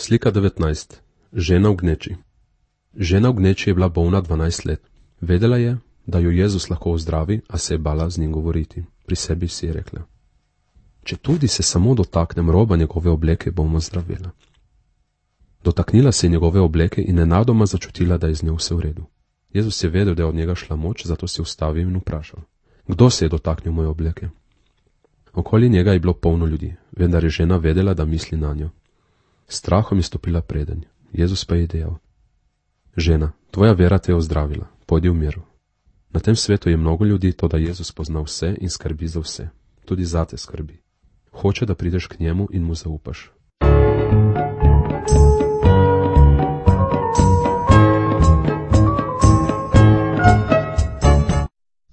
Slika 19. Žena v gneči. Žena v gneči je bila bolna 12 let. Vedela je, da jo Jezus lahko ozdravi, a se je bala z njim govoriti. Pri sebi si je rekla: če tudi se samo dotaknem roba njegove obleke, bom ozdravila. Dotaknila se je njegove obleke in nenadoma začutila, da je z njo vse v redu. Jezus je vedel, da je od njega šla moč, zato se je ustavil in vprašal: kdo se je dotaknil moje obleke? Okoli njega je bilo polno ljudi, vendar je žena vedela, da misli na njo. Strahom je stopila predenj. Jezus pa je dejal: žena, tvoja vera te je ozdravila, pojdi v miru. Na tem svetu je mnogo ljudi, toda Jezus pozna vse in skrbi za vse. Tudi zate skrbi. Hoče, da prideš k njemu in mu zaupaš.